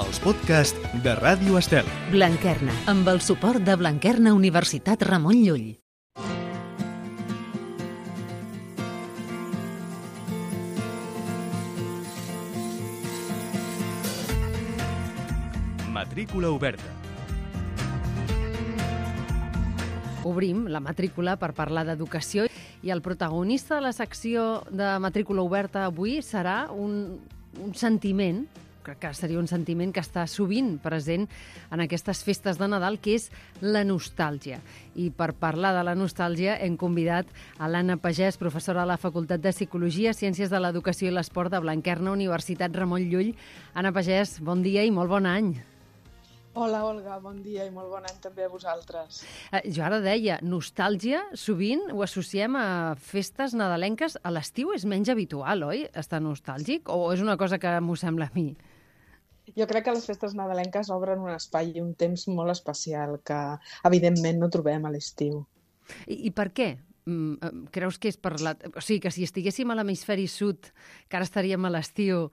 els podcasts de Ràdio Estel. Blanquerna, amb el suport de Blanquerna Universitat Ramon Llull. Matrícula oberta. Obrim la matrícula per parlar d'educació i el protagonista de la secció de matrícula oberta avui serà un sentiment, crec que seria un sentiment que està sovint present en aquestes festes de Nadal, que és la nostàlgia. I per parlar de la nostàlgia hem convidat a l'Anna Pagès, professora de la Facultat de Psicologia, Ciències de l'Educació i l'Esport de Blanquerna Universitat Ramon Llull. Anna Pagès, bon dia i molt bon any. Hola, Olga, bon dia i molt bon any també a vosaltres. Jo ara deia, nostàlgia, sovint ho associem a festes nadalenques. A l'estiu és menys habitual, oi?, estar nostàlgic? O és una cosa que m'ho sembla a mi? Jo crec que les festes nadalenques obren un espai i un temps molt especial que, evidentment, no trobem a l'estiu. I per què? Creus que és per la... O sigui, que si estiguéssim a l'hemisferi sud, que ara estaríem a l'estiu,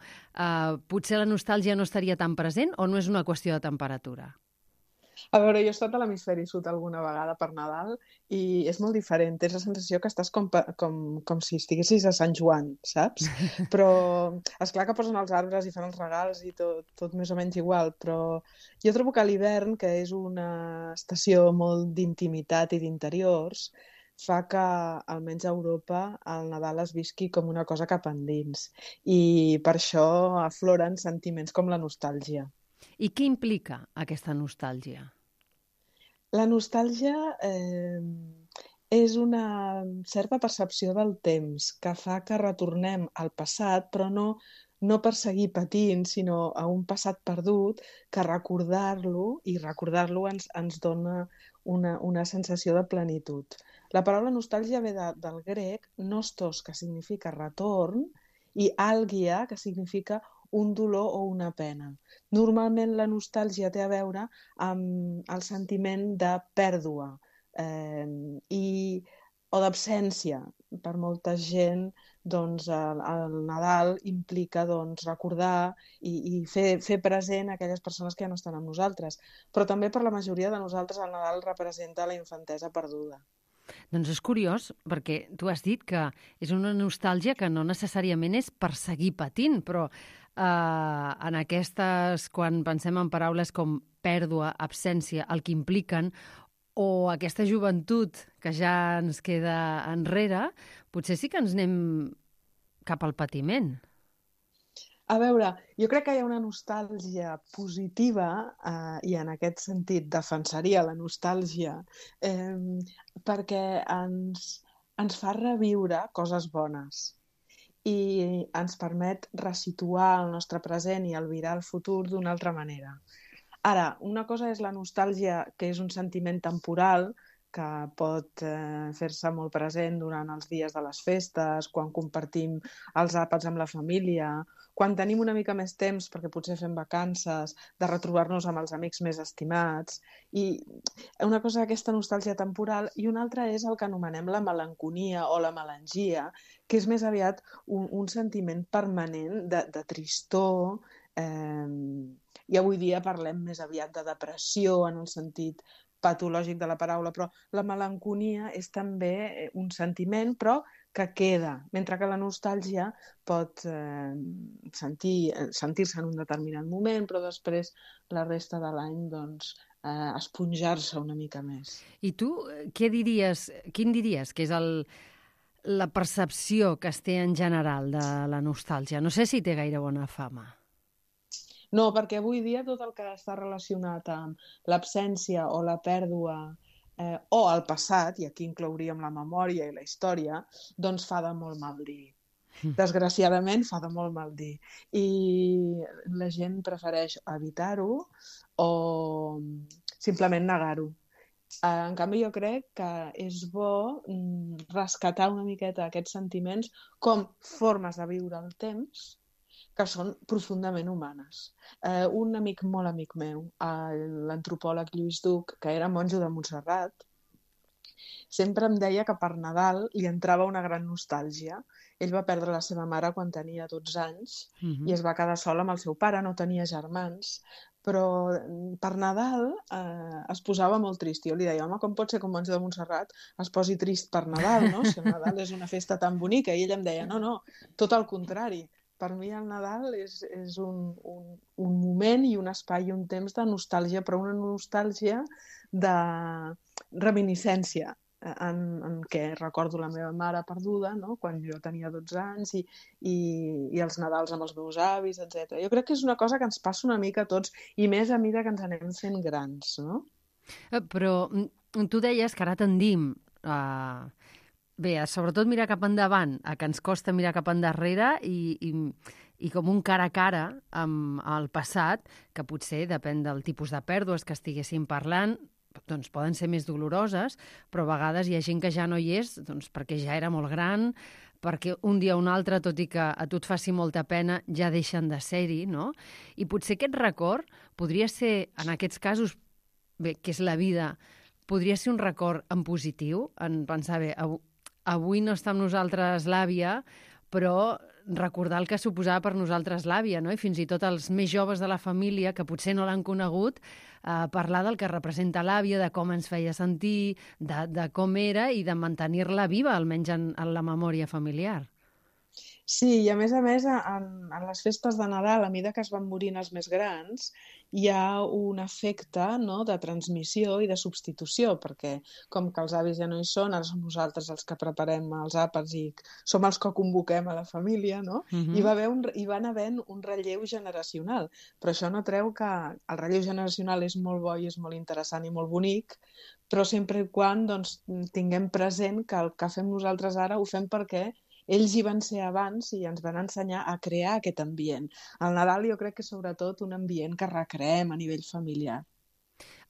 potser la nostàlgia no estaria tan present o no és una qüestió de temperatura? A veure, jo he estat a l'hemisferi sud alguna vegada per Nadal i és molt diferent. Tens la sensació que estàs com si estiguessis a Sant Joan, saps? Però, esclar que posen els arbres i fan els regals i tot més o menys igual, però jo trobo que a l'hivern, que és una estació molt d'intimitat i d'interiors, fa que, almenys a Europa, el Nadal es visqui com una cosa cap endins. I per això afloren sentiments com la nostàlgia. I què implica aquesta nostàlgia? La nostàlgia és una certa percepció del temps que fa que retornem al passat, però no per seguir patint, sinó a un passat perdut, que recordar-lo ens dona una sensació de plenitud. La paraula nostàlgia ve del grec nostos, que significa retorn, i àlgia, que significa un dolor o una pena. Normalment la nostàlgia té a veure amb el sentiment de pèrdua o d'absència. Per molta gent, doncs, el Nadal implica recordar i fer present aquelles persones que ja no estan amb nosaltres. Però també per la majoria de nosaltres el Nadal representa la infantesa perduda. Doncs és curiós, perquè tu has dit que és una nostàlgia que no necessàriament és per seguir patint, però en aquestes, quan pensem en paraules com pèrdua, absència, el que impliquen, o aquesta joventut que ja ens queda enrere, potser sí que ens anem cap al patiment. A veure, jo crec que hi ha una nostàlgia positiva i en aquest sentit defensaria la nostàlgia perquè ens fa reviure coses bones i ens permet resituar el nostre present i albirar el futur d'una altra manera. Ara, una cosa és la nostàlgia, que és un sentiment temporal, que pot fer-se molt present durant els dies de les festes, quan compartim els àpats amb la família, quan tenim una mica més temps perquè potser fem vacances, de retrobar-nos amb els amics més estimats. I una cosa és aquesta nostàlgia temporal i una altra és el que anomenem la melanconia o la melangia, que és més aviat un sentiment permanent de tristor, i avui dia parlem més aviat de depressió en el sentit patològic de la paraula, però la melanconia és també un sentiment, però que queda, mentre que la nostàlgia pot sentir-se en un determinat moment, però després la resta de l'any esponjar-se una mica més. I tu, quin diries que és la percepció que es té en general de la nostàlgia? No sé si té gaire bona fama. No, perquè avui dia tot el que està relacionat amb l'absència o la pèrdua o el passat, i aquí inclouríem la memòria i la història, doncs fa de molt mal dir. Desgraciadament fa de molt mal dir. I la gent prefereix evitar-ho o simplement negar-ho. En canvi, jo crec que és bo rescatar una miqueta aquests sentiments com formes de viure el temps que són profundament humanes. Un molt amic meu, l'antropòleg Lluís Duc, que era monjo de Montserrat, sempre em deia que per Nadal li entrava una gran nostàlgia. Ell va perdre la seva mare quan tenia 12 anys i es va quedar sol amb el seu pare, no tenia germans, però per Nadal es posava molt trist. Jo li deia, home, com pot ser que un monjo de Montserrat es posi trist per Nadal, no? Si el Nadal és una festa tan bonica. I ell em deia, no, tot el contrari. Per mi el Nadal és un moment i un espai i un temps de nostàlgia, però una nostàlgia de reminiscència, en què recordo la meva mare perduda, no? Quan jo tenia 12 anys i els Nadals amb els meus avis, etc. Jo crec que és una cosa que ens passa una mica a tots, i més a mesura que ens anem fent grans, no? Però tu deies que ara tendim bé, sobretot mirar cap endavant, que ens costa mirar cap endarrere i com un cara a cara amb el passat, que potser depèn del tipus de pèrdues que estiguéssim parlant, doncs poden ser més doloroses, però a vegades hi ha gent que ja no hi és doncs perquè ja era molt gran, perquè un dia o un altre, tot i que a tu et faci molta pena, ja deixen de ser-hi, no? I potser aquest record podria ser, en aquests casos, bé, que és la vida, podria ser un record en positiu, en pensar, bé, avui no està amb nosaltres l'àvia, però recordar el que suposava per nosaltres l'àvia, no? I fins i tot els més joves de la família, que potser no l'han conegut, parlar del que representa l'àvia, de com ens feia sentir, de com era i de mantenir-la viva, almenys en la memòria familiar. Sí, i a més, en les festes de Nadal, a mesura que es van morint els més grans, hi ha un efecte, no?, de transmissió i de substitució, perquè com que els avis ja no hi són, ara som nosaltres els que preparem els àpats i som els que convoquem a la família, no? Hi van havent un relleu generacional, però això no treu que el relleu generacional és molt bo i és molt interessant i molt bonic, però sempre i quan doncs, tinguem present que el que fem nosaltres ara ho fem perquè ells hi van ser abans i ens van ensenyar a crear aquest ambient. El Nadal jo crec que és sobretot un ambient que recreem a nivell familiar.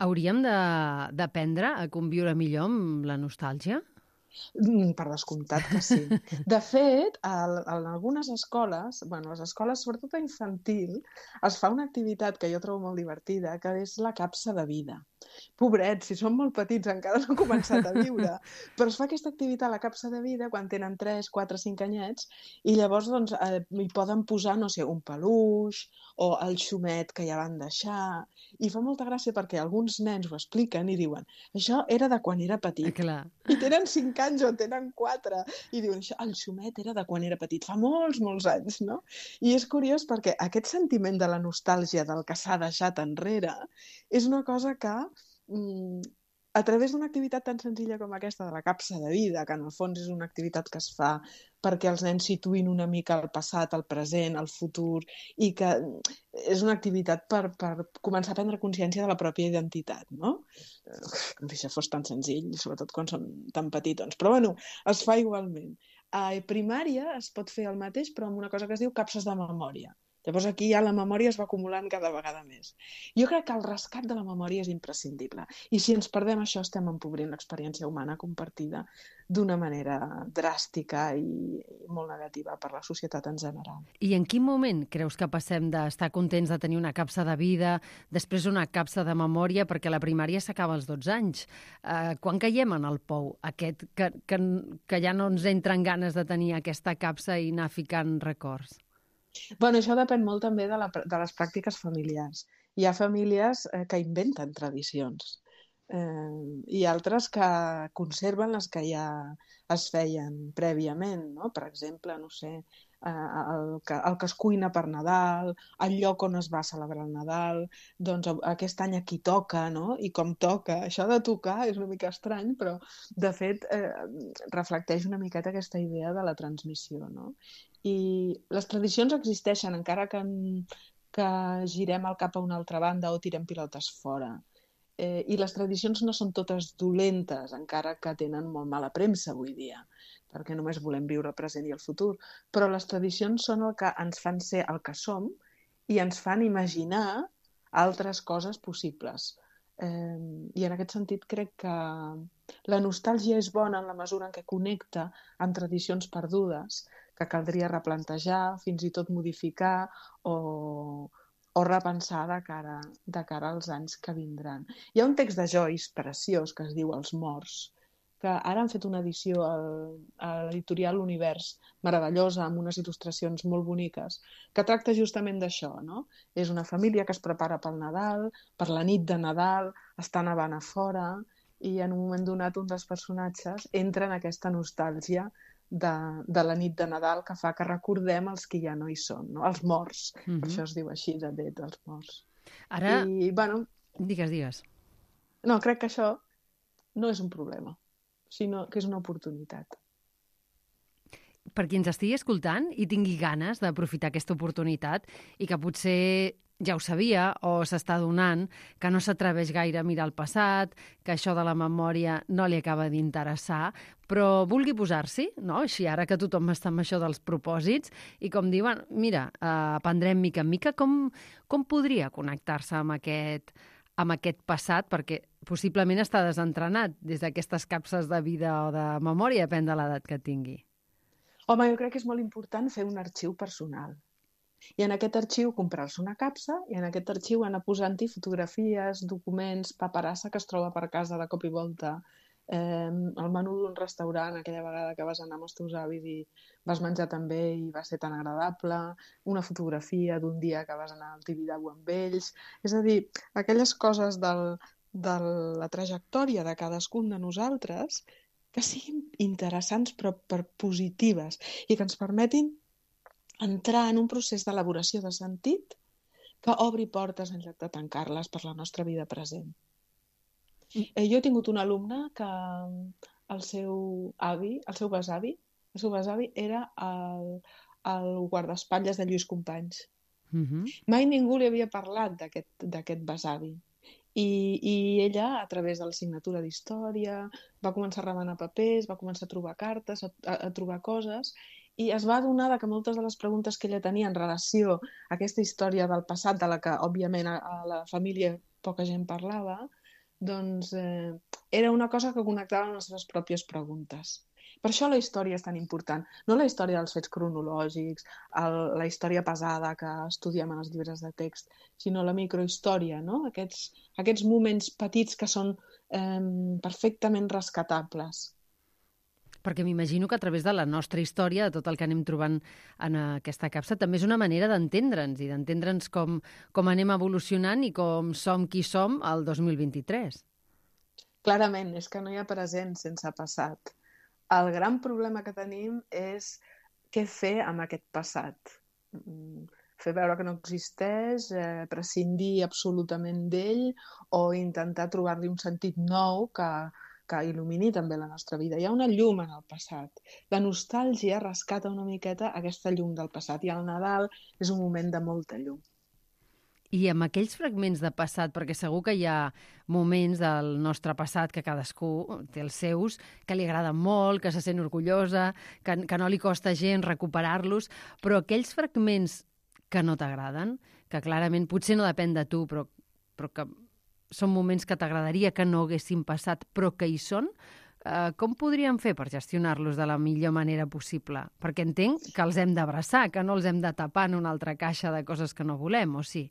Hauríem d'aprendre a conviure millor amb la nostàlgia? Per descomptat que sí. De fet, en algunes escoles, les escoles, sobretot a infantil, es fa una activitat que jo trobo molt divertida, que és la capsa de vida. Pobrets, si són molt petits encara no han començat a viure, però es fa aquesta activitat a la capsa de vida quan tenen 3, 4, 5 anyets i llavors doncs, hi poden posar, no sé, un peluix o el xumet que ja van deixar, i fa molta gràcia perquè alguns nens ho expliquen i diuen això era de quan era petit. Clar. I tenen 5 anys o tenen 4 i diuen el xumet era de quan era petit, fa molts, molts anys, no? I és curiós perquè aquest sentiment de la nostàlgia del que s'ha deixat enrere és una cosa que a través d'una activitat tan senzilla com aquesta de la capsa de vida, que en el fons és una activitat que es fa perquè els nens situïn una mica el passat, el present, el futur, i que és una activitat per començar a prendre consciència de la pròpia identitat, no? Com si això fos tan senzill, sobretot quan són tan petitons. Però bueno, es fa igualment. A primària es pot fer el mateix, però amb una cosa que es diu capses de memòria. Llavors aquí ja la memòria es va acumulant cada vegada més. Jo crec que el rescat de la memòria és imprescindible. I si ens perdem això, estem empobrint l'experiència humana compartida d'una manera dràstica i molt negativa per la societat en general. I en quin moment creus que passem d'estar contents de tenir una capsa de vida, després una capsa de memòria, perquè la primària s'acaba als 12 anys? Quan caiem en el pou aquest que ja no ens entren ganes de tenir aquesta capsa i anar ficant records? Això depèn molt també de les pràctiques familiars. Hi ha famílies que inventen tradicions i altres que conserven les que ja es feien prèviament, no? Per exemple, no sé, el que es cuina per Nadal, el lloc on es va celebrar el Nadal, doncs aquest any aquí toca, no? I com toca. Això de tocar és una mica estrany, però de fet reflecteix una miqueta aquesta idea de la transmissió, no? I les tradicions existeixen, encara que girem el cap a una altra banda o tirem pilotes fora. I les tradicions no són totes dolentes, encara que tenen molt mala premsa avui dia, perquè només volem viure el present i el futur. Però les tradicions són el que ens fan ser el que som i ens fan imaginar altres coses possibles. I en aquest sentit crec que la nostàlgia és bona en la mesura en què connecta amb tradicions perdudes, que caldria replantejar, fins i tot modificar o repensar de cara als anys que vindran. Hi ha un text de Joyce preciós que es diu Els morts, que ara han fet una edició a l'editorial Univers meravellosa, amb unes il·lustracions molt boniques, que tracta justament d'això, no? És una família que es prepara pel Nadal, per la nit de Nadal, està nevant a fora, i en un moment donat un dels personatges entra en aquesta nostàlgia de la nit de Nadal que fa que recordem els que ja no hi són, no? Els morts. Per això es diu així, de Dead, els morts. Ara... I, bueno... Digues. No, crec que això no és un problema, sinó que és una oportunitat. Per qui ens estigui escoltant i tingui ganes d'aprofitar aquesta oportunitat i que potser ja ho sabia o s'està donant, que no s'atreveix gaire a mirar el passat, que això de la memòria no li acaba d'interessar, però vulgui posar-s'hi, no? Així ara que tothom està amb això dels propòsits, i com diuen, mira, aprendrem mica en mica, com podria connectar-se amb aquest passat, perquè possiblement està desentrenat des d'aquestes capses de vida o de memòria, depèn de l'edat que tingui. Home, jo crec que és molt important fer un arxiu personal. I en aquest arxiu comprar-se una capsa i en aquest arxiu anar posant-hi fotografies, documents, paperassa que es troba per casa de cop i volta, el menú d'un restaurant, aquella vegada que vas anar amb els teus avis i vas menjar també i va ser tan agradable, una fotografia d'un dia que vas anar al Tibidabo amb ells. És a dir, aquelles coses de la trajectòria de cadascun de nosaltres que siguin interessants però per positives i que ens permetin entrar en un procés d'elaboració de sentit que obri portes en lloc de tancar-les per la nostra vida present. Jo he tingut un alumne que el seu besavi era el guardaespatlles de Lluís Companys. Mai ningú li havia parlat d'aquest besavi. I ella, a través de la signatura d'història, va començar a remenar papers, va començar a trobar cartes, a trobar coses, i es va adonar que moltes de les preguntes que ella tenia en relació a aquesta història del passat, de la que, òbviament, a la família poca gent parlava, doncs era una cosa que connectava amb les seves pròpies preguntes. Per això la història és tan important. No la història dels fets cronològics, la història pesada que estudiem en els llibres de text, sinó la microhistòria, no? Aquests moments petits que són perfectament rescatables. Perquè m'imagino que a través de la nostra història, de tot el que anem trobant en aquesta capsa, també és una manera d'entendre'ns i d'entendre'ns com anem evolucionant i com som qui som el 2023. Clarament, és que no hi ha present sense passat. El gran problema que tenim és què fer amb aquest passat. Fer veure que no existeix, prescindir absolutament d'ell o intentar trobar-li un sentit nou que il·lumini també la nostra vida. Hi ha una llum en el passat. La nostàlgia rescata una miqueta aquesta llum del passat i el Nadal és un moment de molta llum. I amb aquells fragments de passat, perquè segur que hi ha moments del nostre passat que cadascú té els seus, que li agraden molt, que se sent orgullosa, que no li costa gens recuperar-los, però aquells fragments que no t'agraden, que clarament potser no depèn de tu, però que són moments que t'agradaria que no haguessin passat, però que hi són, com podríem fer per gestionar-los de la millor manera possible? Perquè entenc que els hem d'abraçar, que no els hem de tapar en una altra caixa de coses que no volem, o sí?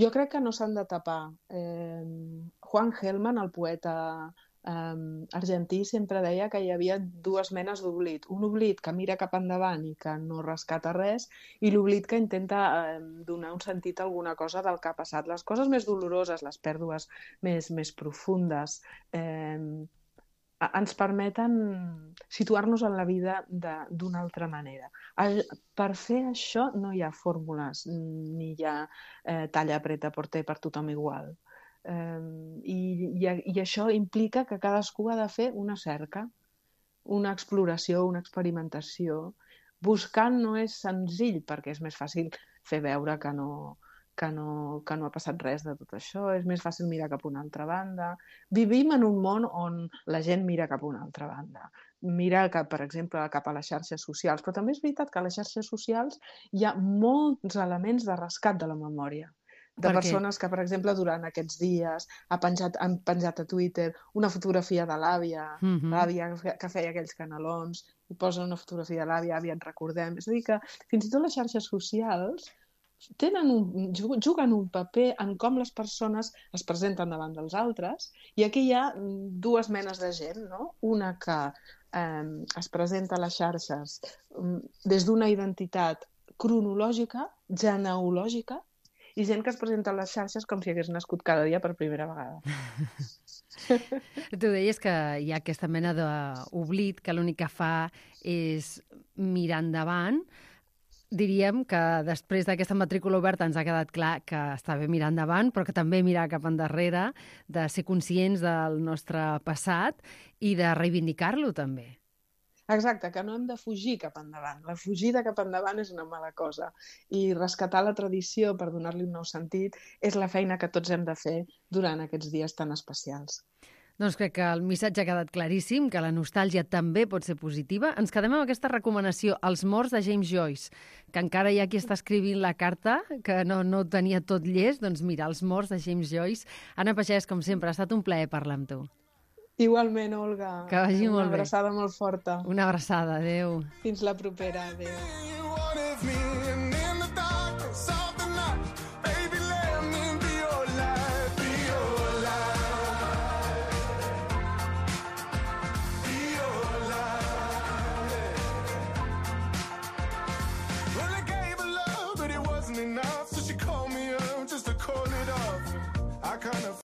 Jo crec que no s'han de tapar. Juan Gelman, el poeta argentí, sempre deia que hi havia dues menes d'oblit. Un oblit que mira cap endavant i que no rescata res, i l'oblit que intenta donar un sentit a alguna cosa del que ha passat. Les coses més doloroses, les pèrdues més profundes, ens permeten situar-nos en la vida d'una altra manera. Per fer això no hi ha fórmules, ni hi ha talla, apreta, porter per tothom igual. I això implica que cadascú ha de fer una cerca, una exploració, una experimentació. Buscant no és senzill, perquè és més fàcil fer veure que no ha passat res de tot això, és més fàcil mirar cap a una altra banda. Vivim en un món on la gent mira cap a una altra banda. Mira, per exemple, cap a les xarxes socials, però també és veritat que a les xarxes socials hi ha molts elements de rescat de la memòria. De persones que, per exemple, durant aquests dies han penjat a Twitter una fotografia de l'àvia, l'àvia que feia aquells canelons, i posen una fotografia de l'àvia, àvia, et recordem. És a dir, que fins i tot les xarxes socials juguen un paper en com les persones es presenten davant dels altres, i aquí hi ha dues menes de gent, no? Una que es presenta a les xarxes des d'una identitat cronològica, genealògica, i gent que es presenta a les xarxes com si hagués nascut cada dia per primera vegada. Tu deies que hi ha aquesta mena d'oblit que l'únic que fa és mirar endavant. Diríem que després d'aquesta matrícula oberta ens ha quedat clar que està bé mirar endavant, però que també mirar cap endarrere, de ser conscients del nostre passat i de reivindicar-lo també. Exacte, que no hem de fugir cap endavant. La fugida cap endavant és una mala cosa. I rescatar la tradició per donar-li un nou sentit és la feina que tots hem de fer durant aquests dies tan especials. Doncs crec que el missatge ha quedat claríssim, que la nostàlgia també pot ser positiva. Ens quedem amb aquesta recomanació, Els morts de James Joyce, que encara hi ha qui està escrivint la carta, que no tenia tot llest. Doncs mira, Els morts de James Joyce. Anna Pagès, com sempre, ha estat un plaer parlar amb tu. Igualment, Olga. Que vagi molt bé. Una abraçada molt forta. Una abraçada, adéu. Fins la propera, adéu.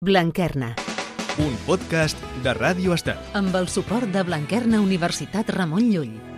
Blanquerna. Un podcast de Ràdio Estel. Amb el suport de Blanquerna Universitat Ramon Llull.